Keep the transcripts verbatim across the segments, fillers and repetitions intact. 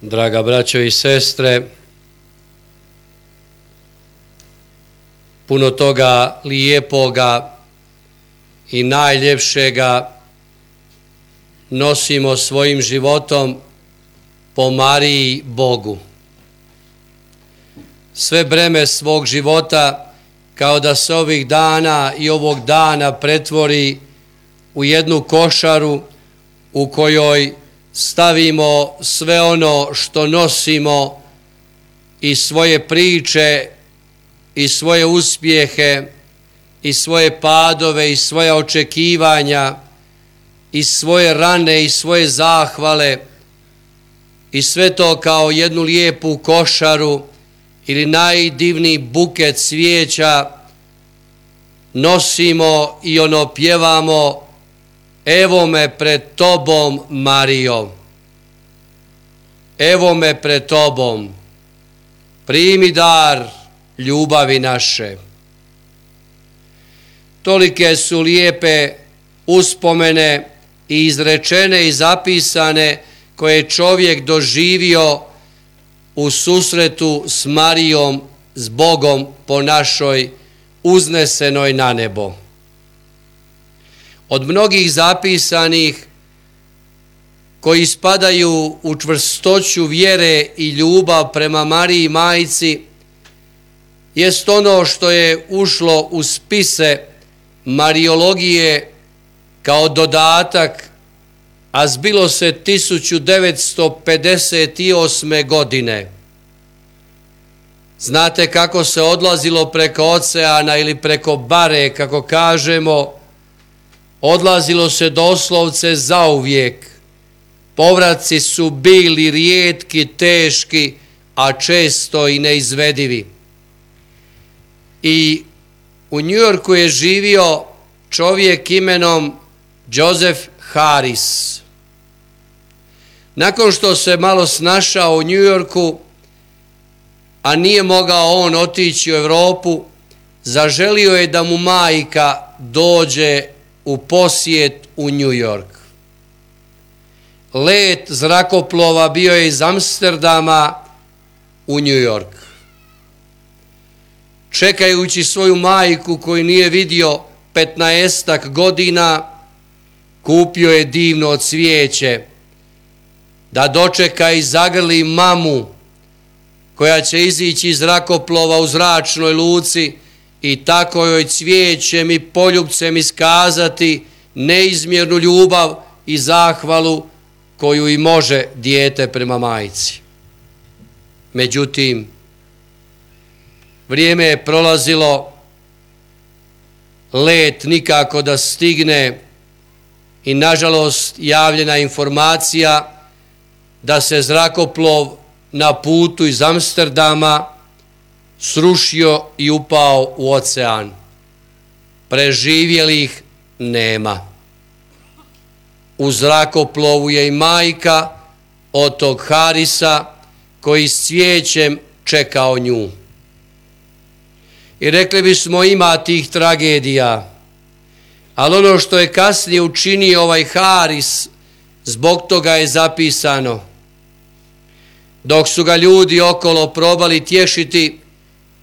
Draga braćo i sestre, puno toga lijepoga i najljepšega nosimo svojim životom po Mariji Bogu. Sve breme svog života kao da se ovih dana i ovog dana pretvori u jednu košaru u kojoj stavimo sve ono što nosimo i svoje priče i svoje uspjehe i svoje padove i svoja očekivanja i svoje rane i svoje zahvale i sve to kao jednu lijepu košaru ili najdivniji buket cvijeća nosimo i ono pjevamo: evo me pred tobom, Marijo, evo me pred tobom, primi dar ljubavi naše. Tolike su lijepe uspomene i izrečene i zapisane koje je čovjek doživio u susretu s Marijom, s Bogom po našoj uznesenoj na nebo. Od mnogih zapisanih koji spadaju u čvrstoću vjere i ljubav prema Mariji Majci jest ono što je ušlo u spise Mariologije kao dodatak, a zbilo se tisuću devetsto pedeset osme. godine. Znate kako se odlazilo preko oceana ili preko bare, kako kažemo, odlazilo se doslovce zauvijek. Povratci su bili rijetki, teški, a često i neizvedivi. I u New Yorku je živio čovjek imenom Joseph Harris. Nakon što se malo snašao u New Yorku, a nije mogao on otići u Europu, zaželio je da mu majka dođe u posjet u New York. Let zrakoplova bio je iz Amsterdama u New York. Čekajući svoju majku koju nije vidio petnaestak godina, kupio je divno cvijeće da dočeka i zagrli mamu koja će izići iz zrakoplova u zračnoj luci i tako joj cvijećem i poljupcem iskazati neizmjernu ljubav i zahvalu koju i može dijete prema majci. Međutim, vrijeme je prolazilo, let nikako da stigne i nažalost javljena informacija da se zrakoplov na putu iz Amsterdama srušio i upao u ocean. Preživjelih nema. U zrakoplovu je i majka od tog Harisa koji s cvijećem čekao nju. I rekli bismo, ima tih tragedija, ali ono što je kasnije učinio ovaj Haris, zbog toga je zapisano. Dok su ga ljudi okolo probali tješiti,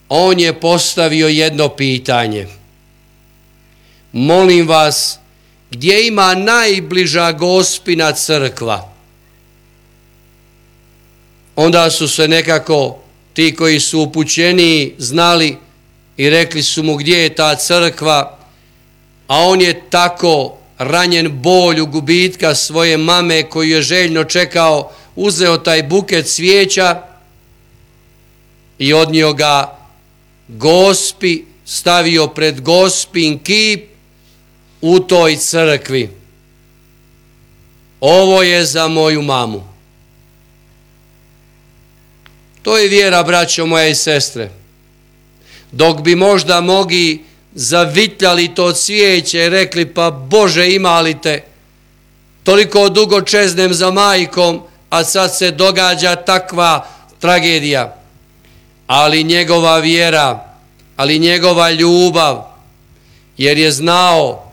on je postavio jedno pitanje: molim vas, gdje ima najbliža Gospina crkva? Onda su se nekako ti koji su upućeniji znali i rekli su mu gdje je ta crkva, a on je tako ranjen bolju gubitka svoje mame koju je željno čekao, uzeo taj buket cvijeća i odnio ga Gospi, stavio pred Gospin kip u toj crkvi. Ovo je za moju mamu. To je vjera, braćo moje i sestre. Dok bi možda mogli zavitljali to cvijeće i rekli: pa Bože, ima li te, toliko dugo čeznem za majkom, a sad se događa takva tragedija. Ali njegova vjera, ali njegova ljubav, jer je znao: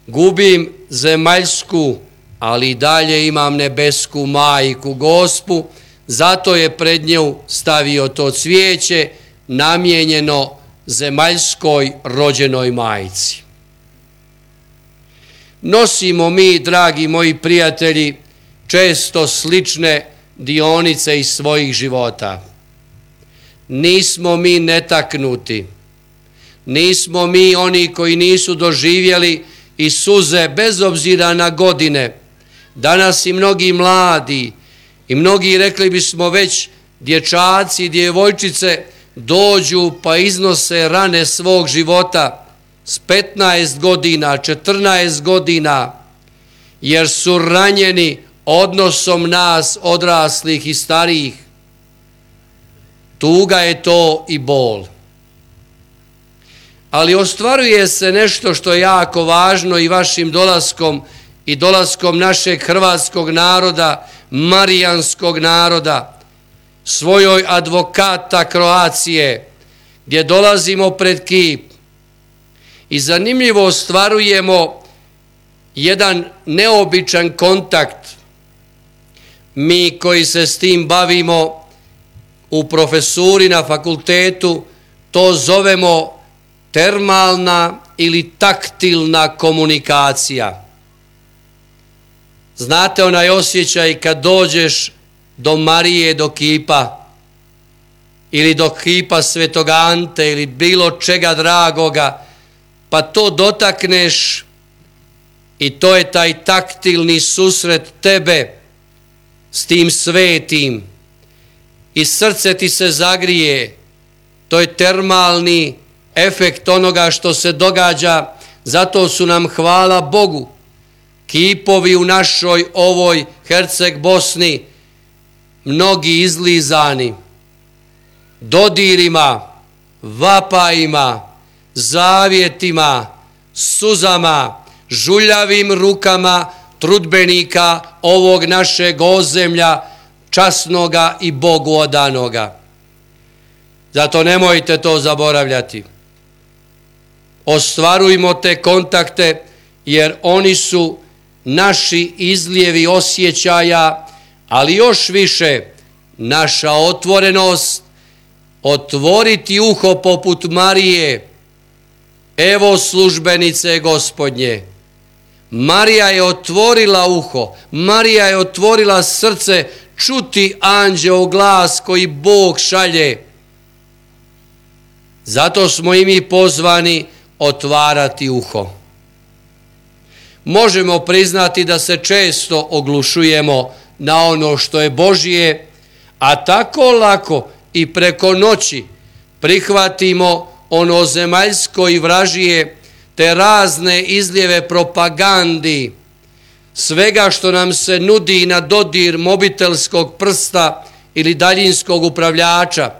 gubim zemaljsku, ali i dalje imam nebesku majku, Gospu, Zato je pred nju stavio to cvijeće namijenjeno zemaljskoj rođenoj majci. Nosimo mi, dragi moji prijatelji, često slične dionice iz svojih života. Nismo mi netaknuti. Nismo mi oni koji nisu doživjeli i suze bez obzira na godine. Danas i mnogi mladi i mnogi, rekli bismo već, dječaci i djevojčice dođu pa iznose rane svog života s petnaest godina, četrnaest godina, jer su ranjeni odnosom nas odraslih i starijih. Tuga je to i bol. Ali ostvaruje se nešto što je jako važno i vašim dolaskom i dolaskom našeg hrvatskog naroda, marijanskog naroda, svojoj advokata Kroacije, gdje dolazimo pred kip i zanimljivo ostvarujemo jedan neobičan kontakt. Mi koji se s tim bavimo u profesuri na fakultetu, to zovemo termalna ili taktilna komunikacija. Znate onaj osjećaj kad dođeš do Marije, do kipa, ili do kipa Svetog Ante, ili bilo čega dragoga, pa to dotakneš i to je taj taktilni susret tebe s tim svetim i srce ti se zagrije. To je termalni efekt onoga što se događa. Zato su nam, hvala Bogu, kipovi u našoj ovoj Herceg Bosni mnogi izlizani dodirima, vapajima, zavjetima, suzama, žuljavim rukama trudbenika ovog našeg ozemlja, časnoga i Bogu odanoga. Zato nemojte to zaboravljati. Ostvarujmo te kontakte, jer oni su naši izlijevi osjećaja, ali još više naša otvorenost, otvoriti uho poput Marije. Evo službenice Gospodnje. Marija je otvorila uho, Marija je otvorila srce čuti anđeo glas koji Bog šalje. Zato smo i mi pozvani otvarati uho. Možemo priznati da se često oglušujemo na ono što je Božje, a tako lako i preko noći prihvatimo ono zemaljsko i vražije, te razne izljeve propagandi, svega što nam se nudi na dodir mobitelskog prsta ili daljinskog upravljača.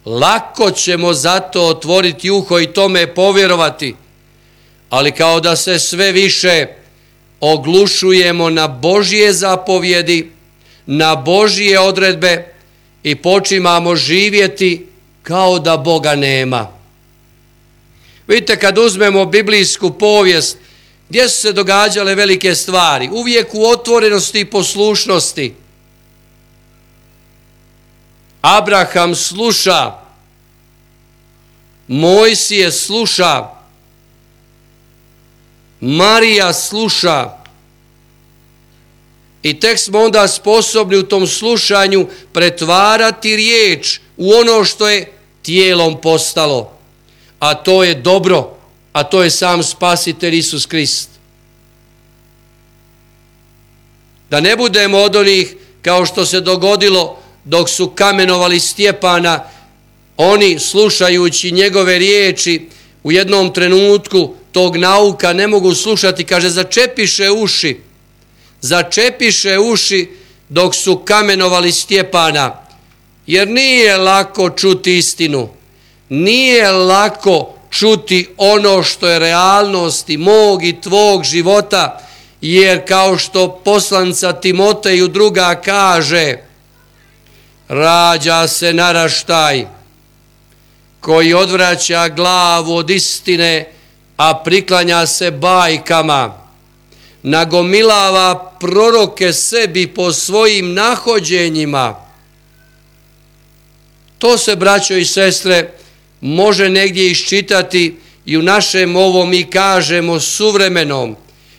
Lako ćemo zato otvoriti uho i tome povjerovati, ali kao da se sve više oglušujemo na Božje zapovjedi, na Božje odredbe i počimamo živjeti kao da Boga nema. Vidite, kad uzmemo biblijsku povijest, gdje su se događale velike stvari? Uvijek u otvorenosti i poslušnosti. Abraham sluša, Mojsije sluša, Marija sluša i tek smo onda sposobni u tom slušanju pretvarati riječ u ono što je tijelom postalo, a to je dobro, a to je sam Spasitelj Isus Krist. Da ne budemo od onih kao što se dogodilo dok su kamenovali Stjepana, oni slušajući njegove riječi u jednom trenutku tog nauka ne mogu slušati, kaže začepiše uši, začepiše uši dok su kamenovali Stjepana, jer nije lako čuti istinu, nije lako čuti ono što je realnost i mog i tvog života, jer kao što poslanica Timoteju druga kaže, rađa se naraštaj koji odvraća glavu od istine, a priklanja se bajkama, nagomilava proroke sebi po svojim nahođenjima, To se, braćo i sestre, može negdje iščitati i u našem ovom, mi kažemo, suvremenom.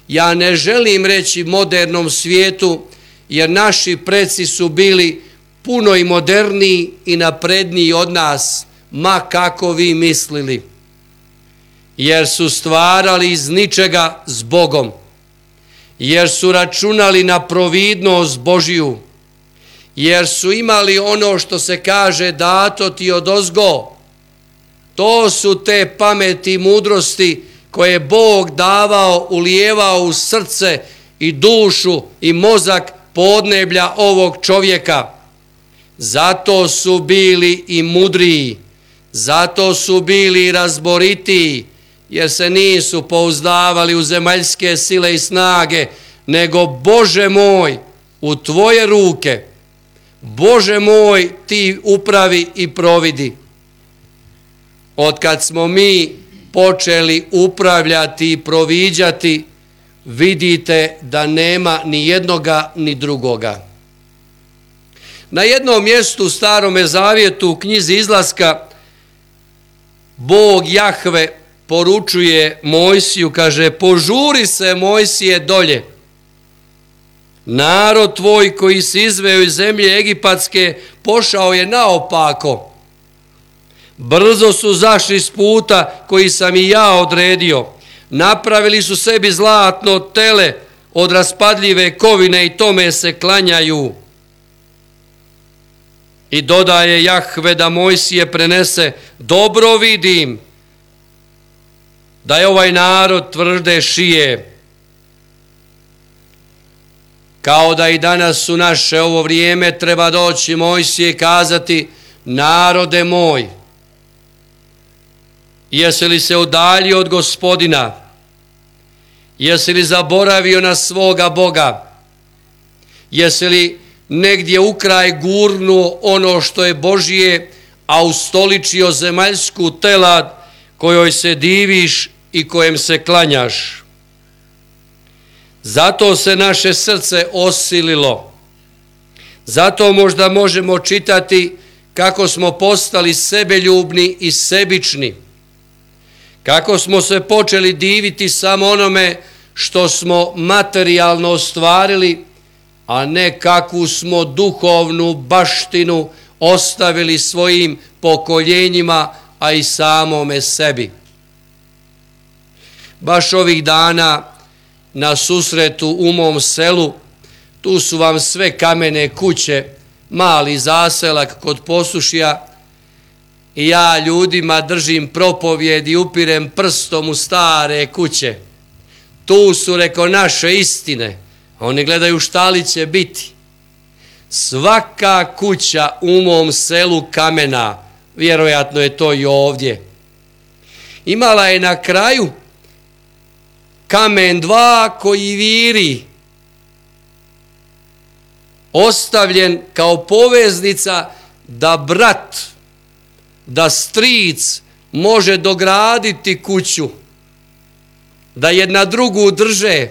Ja ne želim reći modernom svijetu, jer naši preci su bili puno i moderniji i napredniji od nas, ma kako vi mislili. Jer su stvarali iz ničega s Bogom, jer su računali na providnost Božiju, jer su imali ono što se kaže dato ti odozgo. To su te pameti i mudrosti koje je Bog davao, ulijevao u srce i dušu i mozak podneblja ovog čovjeka. Zato su bili i mudriji, zato su bili i razboritiji, jer se nisu pouzdavali u zemaljske sile i snage, nego Bože moj, u tvoje ruke, Bože moj, ti upravi i providi. Od kad smo mi počeli upravljati i proviđati, vidite da nema ni jednoga ni drugoga. Na jednom mjestu u Starome zavjetu u knjizi Izlaska Bog Jahve poručuje Mojsiju, kaže: požuri se, Mojsije, dolje. Narod tvoj koji si izveo iz zemlje egipatske pošao je naopako. Brzo su zašli s puta koji sam i ja odredio. Napravili su sebi zlatno tele od raspadljive kovine i tome se klanjaju. I dodaje Jahve da Mojsije prenese: dobro vidim da je ovaj narod tvrde šije. Kao da i danas u naše ovo vrijeme treba doći Mojsije i kazati: narode moj, jesi li se udaljio od Gospodina? Jesi li zaboravio na svoga Boga? Jesi li negdje u kraj gurnuo ono što je Božije, a ustoličio zemaljsku telad kojoj se diviš i kojem se klanjaš? Zato se naše srce osililo. Zato možda možemo čitati kako smo postali sebeljubni i sebični. Kako smo se počeli diviti samo onome što smo materijalno ostvarili, a ne kakvu smo duhovnu baštinu ostavili svojim pokoljenjima, a i samome sebi. Baš ovih dana na susretu u mom selu, tu su vam sve kamene kuće, mali zaselak kod Posušja, i ja ljudima držim propovjed i upirem prstom u stare kuće. Tu su, reko, naše istine. Oni gledaju šta li će biti. Svaka kuća u mom selu kamena, vjerojatno je to i ovdje, imala je na kraju kamen dva koji viri, ostavljen kao poveznica da brat, da stric može dograditi kuću, da jedna drugu drže.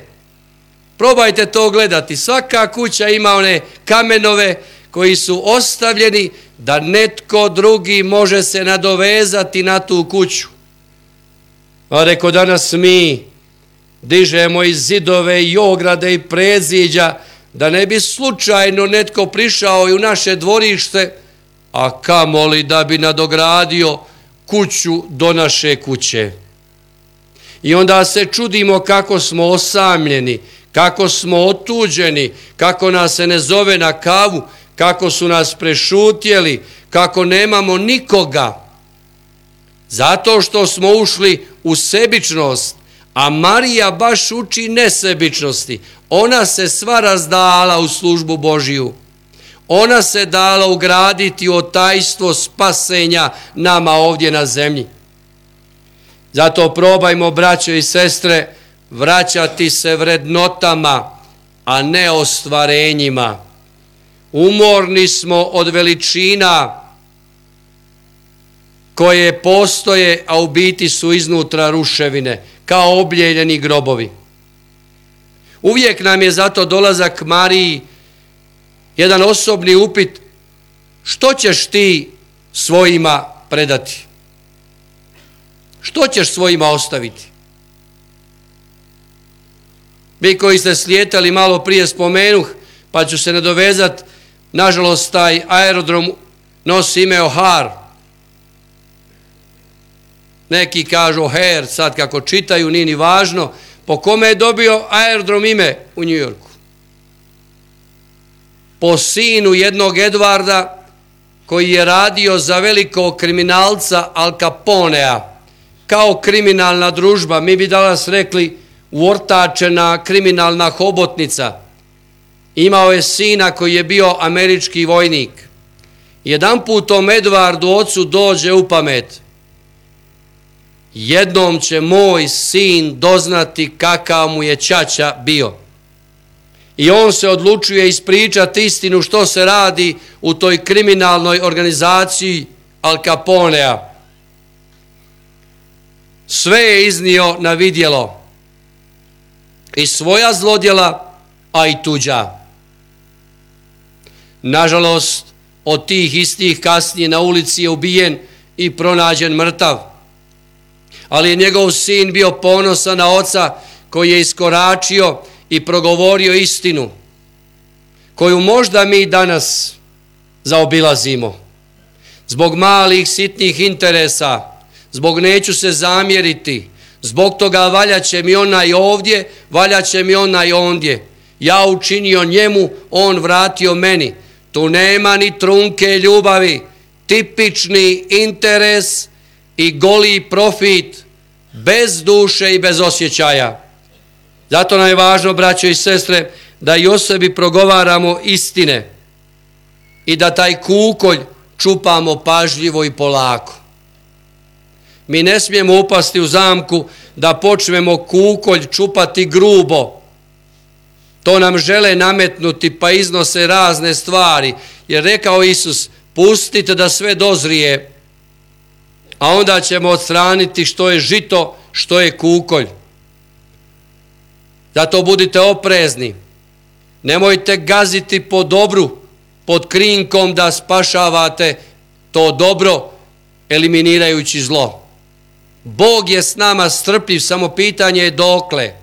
Probajte to gledati. Svaka kuća ima one kamenove koji su ostavljeni da netko drugi može se nadovezati na tu kuću. A reko, danas mi dižemo i zidove i ograde i predziđa da ne bi slučajno netko prišao i u naše dvorište, a kamoli da bi nadogradio kuću do naše kuće. I onda se čudimo kako smo osamljeni, kako smo otuđeni, kako nas se ne zove na kavu, kako su nas prešutjeli, kako nemamo nikoga. Zato što smo ušli u sebičnost, a Marija baš uči nesebičnosti. Ona se sva razdala u službu Božiju. Ona se dala ugraditi u tajstvo spasenja nama ovdje na zemlji. Zato probajmo, braćo i sestre, vraćati se vrednotama, a ne ostvarenjima. Umorni smo od veličina koje postoje, a u biti su iznutra ruševine, kao obljeljeni grobovi. Uvijek nam je zato dolazak Mariji jedan osobni upit: što ćeš ti svojima predati? Što ćeš svojima ostaviti? Vi koji ste slijetali, malo prije spomenuh, pa ću se nadovezati, nažalost taj aerodrom nosi ime O'Hare. Neki kažu O'Hare, sad kako čitaju, nije ni važno. Po kome je dobio aerodrom ime u New Yorku? Po sinu jednog Edvarda koji je radio za velikog kriminalca Al Caponea, kao kriminalna družba, mi bi danas rekli uortačena kriminalna hobotnica. Imao je sina koji je bio američki vojnik. Jedan put tom Edvardu ocu dođe u pamet: jednom će moj sin doznati kakav mu je ćaća bio. I on se odlučuje ispričati istinu što se radi u toj kriminalnoj organizaciji Al Caponea. Sve je iznio na vidjelo, i svoja zlodjela, a i tuđa. Nažalost, od tih istih kasnije na ulici je ubijen i pronađen mrtav. Ali je njegov sin bio ponosan na oca koji je iskoračio i progovorio istinu, koju možda mi danas zaobilazimo. Zbog malih sitnih interesa, zbog neću se zamjeriti, zbog toga valjaće mi onaj ovdje, valjaće mi onaj ondje. Ja učinio njemu, on vratio meni. Tu nema ni trunke ljubavi, tipični interes i goli profit, bez duše i bez osjećaja. Zato nam je važno, braćo i sestre, da i o sebi progovaramo istine i da taj kukolj čupamo pažljivo i polako. Mi ne smijemo upasti u zamku da počnemo kukolj čupati grubo. To nam žele nametnuti, pa iznose razne stvari. Jer rekao Isus, pustite da sve dozrije, a onda ćemo odstraniti što je žito, što je kukolj. Zato budite oprezni. Nemojte gaziti po dobru, pod krinkom da spašavate to dobro, eliminirajući zlo. Bog je s nama strpljiv, samo pitanje je dokle.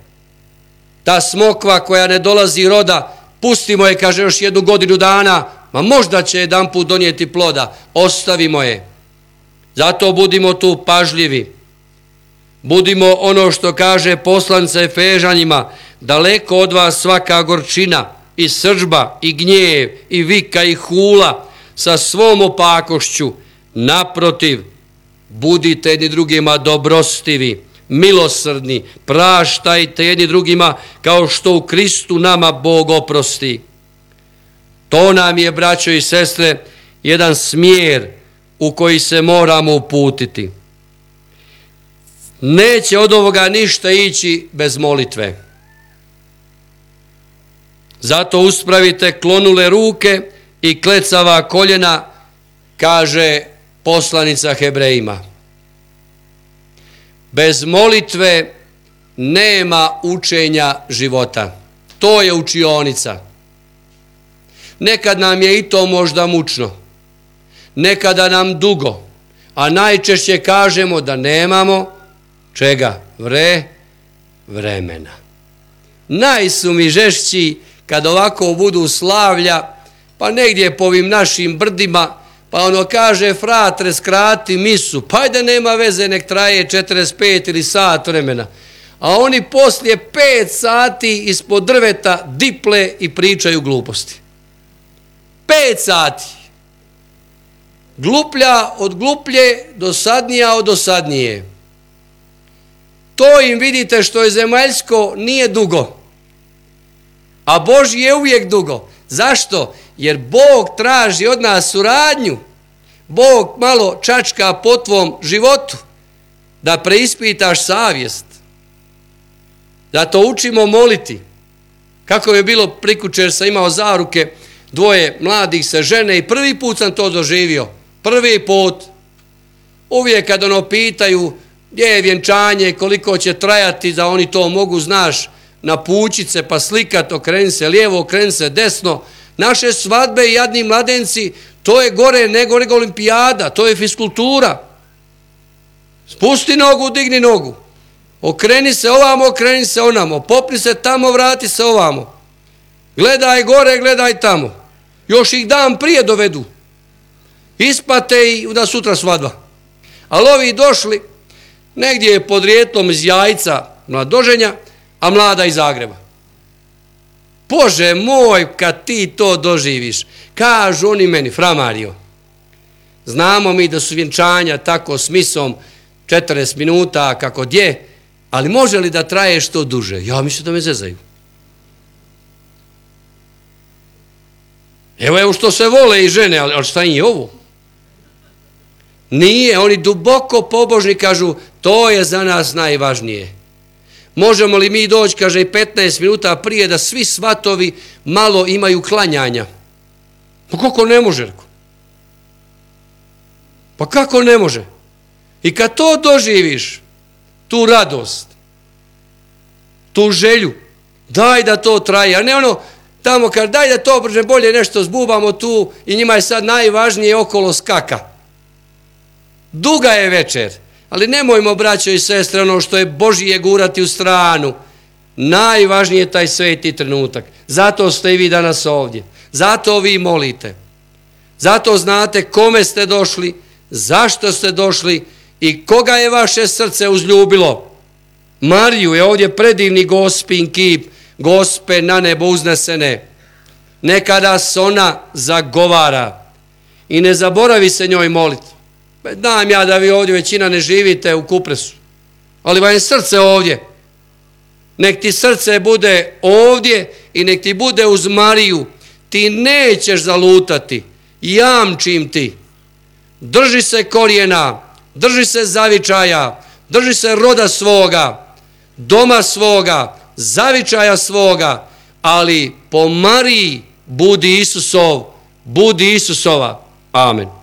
Ta smokva koja ne dolazi roda, pustimo je, kaže, još jednu godinu dana, ma možda će jedan put donijeti ploda, ostavimo je. Zato budimo tu pažljivi. Budimo, ono što kaže poslanica Efežanima, daleko od vas svaka gorčina i srdžba i gnjev i vika i hula sa svom opakošću. Naprotiv, budite jedni drugima dobrostivi, milosrdni, praštajte jedni drugima kao što u Kristu nama Bog oprosti. To nam je, braćo i sestre, jedan smjer u koji se moramo uputiti. Neće od ovoga ništa ići bez molitve. Zato uspravite klonule ruke i klecava koljena, kaže poslanica Hebrejima. Bez molitve nema učenja života. To je učionica. Nekad nam je i to možda mučno, nekada nam dugo, a najčešće kažemo da nemamo čega? Vre, vremena. Najsu mi žešći kad ovako budu slavlja, pa negdje po ovim našim brdima, pa ono kaže, fratre, skrati misu, pa ajde, nema veze, nek traje četrdeset pet ili sat vremena. A oni poslije pet sati ispod drveta diple i pričaju gluposti. Pet sati. Gluplja od gluplje, dosadnija od dosadnije. To im, vidite, što je zemaljsko, nije dugo. A Božji je uvijek dugo. Zašto? Jer Bog traži od nas suradnju. Bog malo čačka po tvom životu da preispitaš savjest. Zato učimo moliti. Kako je bilo prikučer, sam imao zaruke, dvoje mladih se žene i prvi put sam to doživio. Prvi put. Uvijek kad ono pitaju gdje je vjenčanje, koliko će trajati, da oni to mogu, znaš, na pučice pa slikat, okreni se lijevo, okreni se desno, Naše svadbe i jadni mladenci, to je gore nego, nego olimpijada, to je fiskultura. Spusti nogu, digni nogu. Okreni se ovamo, okreni se onamo. Popni se tamo, vrati se ovamo. Gledaj gore, gledaj tamo. Još ih dan prije dovedu. Ispate i da sutra svadba. Ali ovi došli, negdje je podrijetlom iz Jajca mladoženja, a mlada iz Zagreba. Bože moj, kad ti to doživiš, kažu oni meni, Fra Mario, znamo mi da su vjenčanja tako s misom četrdeset minuta kako gdje, ali može li da traje što duže? Ja mislim da me zezaju. Evo, evo što se vole i žene, ali, ali šta im je ovo? Nije, oni duboko pobožni kažu, to je za nas najvažnije. Možemo li mi doći, kaže, i petnaest minuta prije da svi svatovi malo imaju klanjanja? Pa kako ne može? Pa kako ne može? I kad to doživiš, tu radost, tu želju, daj da to traje, a ne ono tamo kad daj da to brže bolje nešto zbubamo tu i njima je sad najvažnije okolo skaka. Duga je večer, ali nemojmo, braćo i sestre, ono što je Božije gurati u stranu. Najvažnije je taj sveti trenutak. Zato ste i vi danas ovdje. Zato vi molite. Zato znate kome ste došli, zašto ste došli i koga je vaše srce uzljubilo. Mariju je ovdje predivni Gospin kip, Gospe na nebo uznesene. Nekada se ona zagovara i ne zaboravi se njoj moliti. Znam ja da vi ovdje većina ne živite u Kupresu, ali vam je srce ovdje. Nek ti srce bude ovdje i nek ti bude uz Mariju. Ti nećeš zalutati, jamčim ti. Drži se korijena, drži se zavičaja, drži se roda svoga, doma svoga, zavičaja svoga, ali po Mariji budi Isusov, budi Isusova. Amen.